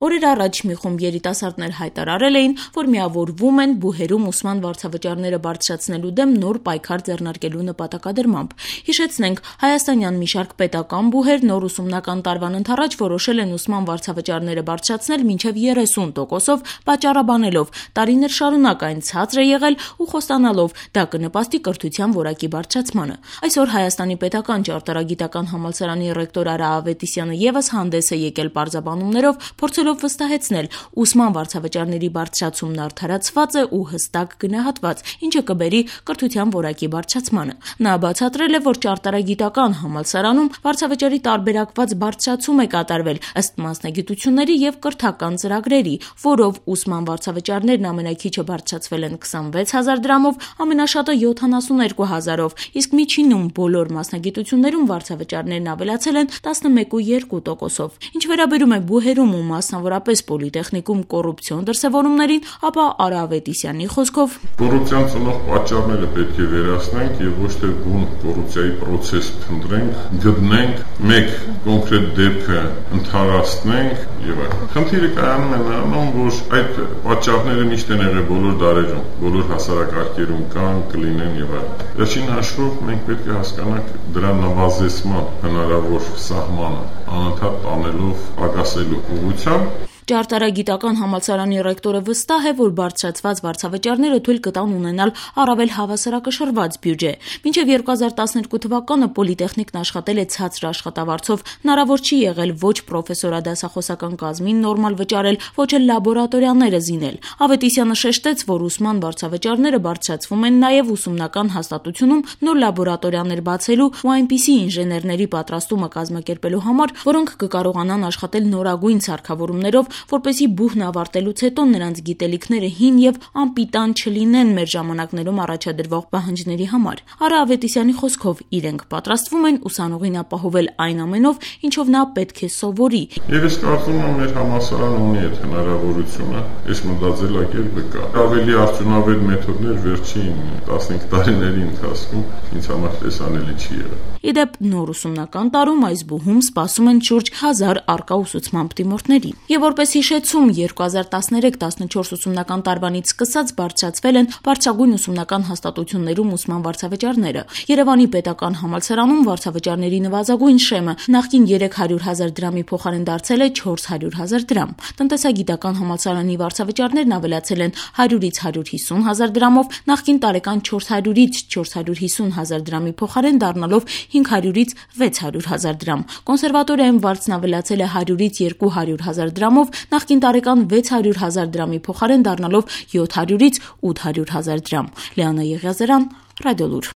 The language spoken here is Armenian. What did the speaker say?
Օրեր առաջ մի խումբ երիտասարդներ հայտարարել էին, որ միավորվում են բուհերում ուսման վարձավճարները բարձրացնելու դեմ նոր պայքար ձեռնարկելու նպատակադրմամբ։ Հիշեցնենք, հայաստանյան մի շարք պետական բուհեր նոր ուսումնական տարվան ընթառաջ որոշել են ուսման վարձավճարները բարձրացնել մինչև 30%-ով, պատճառաբանելով տարիներ շարունակ այն ցածր է եղել ու խոստանալով դա կնպաստի կրթության որակի բարձրացմանը։ Այսօր Հայաստանի պետական ճարտարագիտական համալսարանի ռեկտոր Արա Ավետիսյանը ևս հանդես է եկել պարզաբանումներով, փորձելով վստահեցնել, ուսման վարձավճարների բարձրացումն արդարացված է ու հստակ գնահատված, ինչը կբերի կրթության որակի բարձրացմանը։ Նա բացատրել է, որ ճարտարագիտական համալսարանում վարձավճարի տարբերակված բարձրացում է կատարվել ըստ մասնագիտությունների եւ կրթական ծրագրերի, որով ուսման վարձավճարներն ամենաքիչը բարձրացվել են 26,000 դրամով, ամենաշատը 72,000-ով, իսկ միջինում բոլոր մասնագիտություններում վարձավճարներն ավելացել են 11,2%-ով։ Ինչ վերաբերում է բուհերում ու մասնավորապես պոլիտեխնիկում կոռուպցիոն դրսևորումներին, ապա Արա Ավետիսյանի խոսքով կոռուպցիան ծնող պատճառները պետք է վերացնենք եւ ոչ թե բուն կոռուպցիայի process փնտրենք, գտնենք, մեկ կոնկրետ դեպքը ընդհանրացնենք եւ այլն։ Խնդիրը կայանում է նրանում, որ այդ պատճառները միշտ են եղել բոլոր դարերում, բոլոր հասարակարգերում կան, կլինեն եւ այլն։ Վերջին հաշվով մենք պետք է հասկանանք դրա նվազեցման հնարավոր սահմանը, անընդհատ տանելով պակասելու ուղղությամբ։ Ճարտարագիտական համալսարանի ռեկտորը վստահ է, որ բարձրացված վարձավճարները թույլ կտան ունենալ առավել հավասարակշռված բյուջե։ Մինչև 2012 թվականը պոլիտեխնիկն աշխատել է ցածր աշխատավարձով, հնարավոր չի եղել ոչ պրոֆեսորադասախոսական կազմին նորմալ վճարել, ոչ էլ լաբորատորիաները զինել։ Ավետիսյանը շեշտեց, որ ուսման վարձավճարները բարձրացվում են նաև ուսումնական հաստատությունում նոր լաբորատորիաներ բացելու ու այնպիսի ինժեներների պատրաստումը կազմակերպելու համար, որոնք կկարողանան աշխատել նորագույն սարքավորումներով, որպեսզի բուհն ավարտելուց հետո նրանց գիտելիքները հին եւ անպիտան չլինեն մեր ժամանակներում առաջադրվող պահանջների համար։ Արա Ավետիսյանի խոսքով իրենք պատրաստվում են ուսանողին ապահովել այն ամենով, ինչով նա պետք է սովորի։ Եվ ես կարծում եմ, մեր համալսարանը ունի այդ հնարավորությունը, այս մտածելակերպը կա։ Ավելի արդյունավետ մեթոդներ վերջին 15 տարիների ընթացքում ինձ համար տեսանելի չի եղել։ Իդեպ նոր ուսումնական տարում այս բուհում սպասում են շուրջ 1000 արկա ուսուցման դիմորդների։ Եվ որպես հիշեցում, 2013-14 ուսումնական տարվանից սկսած բարձրացվել են բարձրագույն ուսումնական հաստատություններում ուսման վարձավճարները։ Երևանի պետական համալսարանում վարձավճարների նվազագույն շեմը նախկին 300,000 դրամի փոխարեն դարձել է 400,000 դրամ։ Տնտեսագիտական համալսարանի վարձավճարներն ավելացել են 100-ից 150,000 դրամով, նախկին տարեկան 400-ից 450,000 դրամի փոխարեն դառնալով 500-ից 600,000 դրամ։ Կոնսերվատորիայում վարձն ավելացել է 100-ից 200,000 դրամով, նախկին տարեկան 600,000 դրամի փոխարեն դառնալով 700-ից 800,000 դրամ։ Լիանա Եղիազարյան, Ռադիոլուր։